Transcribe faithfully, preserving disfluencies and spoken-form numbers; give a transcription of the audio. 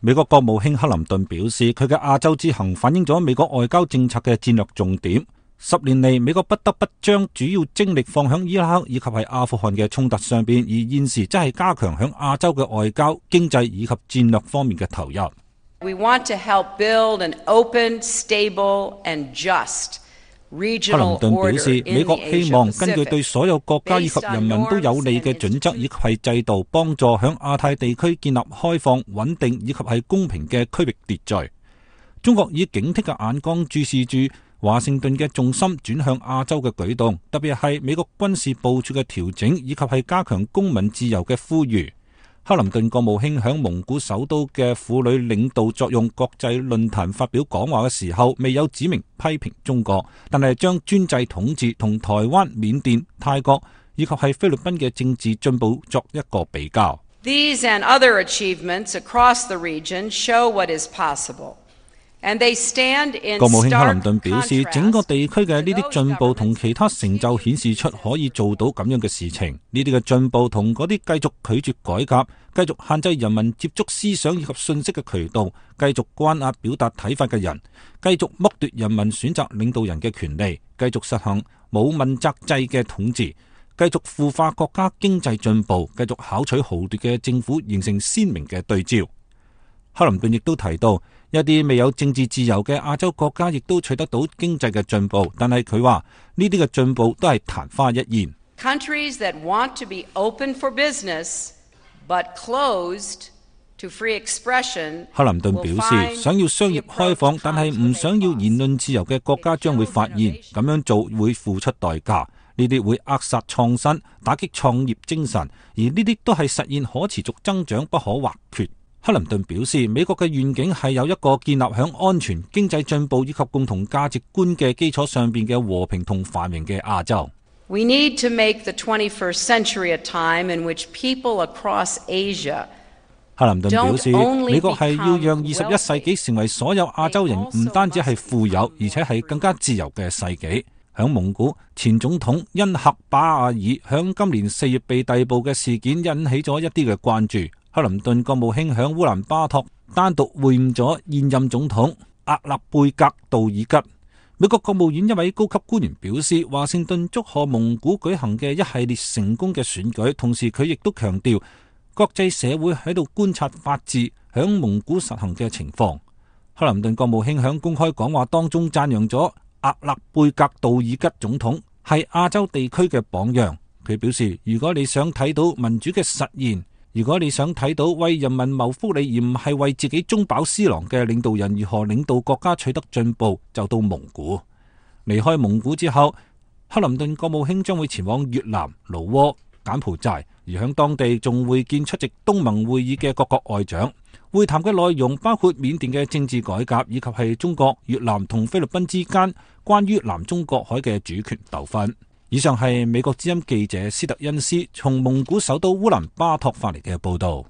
美國國務卿克林頓表示，佢嘅亞洲之行反映咗美國外交政策嘅戰略重點。十年嚟，美國不得不將主要精力放響伊拉克以及係阿富汗嘅衝突上邊，而現時則係加強響亞洲嘅外交、經濟以及戰略方面嘅投入。We want to help build an open, stable and just regional order in the Asia Pacific. 克林頓表示，美國希望根據對所有國家以及人民都有利嘅準則以及係制度，幫助響亞太地區建立開放、穩定以及係公平嘅區域秩序。中國以警惕嘅眼光注視住華盛頓嘅重心轉向亞洲嘅舉動，特別係美國軍事部署嘅調整以及係加強公民自由嘅呼籲。克林頓國務卿響蒙古首都嘅婦女領導作用國際論壇發表講話嘅時候，未有指明批評中國，但係將專制統治同台灣、緬甸、泰國以及係菲律賓嘅政治進步作一個比較。These and other achievements across the region show what is possible. 國務卿克林頓表示，整個地區嘅呢啲進步同其他成就顯示出可以做到咁樣嘅事情。呢啲嘅進步同嗰啲繼續拒絕改革、繼續限制人民接觸思想以及信息嘅渠道、繼續關押表達睇法嘅人、繼續剝奪人民選擇領導人嘅權利、繼續實行冇問責制嘅統治、繼續腐化國家經濟進步、繼續巧取豪奪嘅政府形成鮮明嘅對照。克林頓亦都提到，一啲未有政治自由嘅亞洲國家亦都取得到經濟嘅進步，但係佢話呢啲嘅進步都係曇花一現。Countries that want to be open for business but closed to free expression. 克林頓表示，想要商業開放但係唔想要言論自由嘅國家將會發現，咁樣做會付出代價，呢啲會扼殺創新、打擊創業精神，而呢啲都係實現可持續增長不可或缺。克林頓表示，美國嘅願景係有一個建立響安全、經濟進步以及共同價值觀嘅基礎上邊嘅和平同繁榮嘅亞洲。We need to make the twenty-first century a time in which people across Asia 克林頓表示，美國係要讓二十一世紀成為所有亞洲人唔單止係富有，而且係更加自由嘅世紀。響蒙古，前總統恩赫巴亞爾響今年四月被逮捕嘅事件引起咗一啲嘅關注。克林頓國務卿響烏蘭巴托單獨會晤咗現任總統阿勒貝格杜爾吉。美國國務院一位高級官員表示，華盛頓祝賀蒙古舉行嘅一系列成功嘅選舉，同時佢亦都強調國際社會喺度觀察法治響蒙古實行嘅情況。克林頓國務卿響公開講話當中讚揚咗阿勒貝格杜爾吉總統係亞洲地區嘅榜樣。佢表示，如果你想睇到民主嘅實現，如果你想睇到為人民謀福利而唔係為自己中飽私囊嘅領導人如何領導國家取得進步，就到蒙古。離開蒙古之後，克林頓國務卿將會前往越南、老撾、柬埔寨，而響當地仲會見出席東盟會議嘅各國外長。會談嘅內容包括緬甸嘅政治改革，以及係中國、越南同菲律賓之間關於南中國海嘅主權糾紛。以上係美國之音記者斯特恩斯從蒙古首都烏蘭巴托發嚟嘅報道。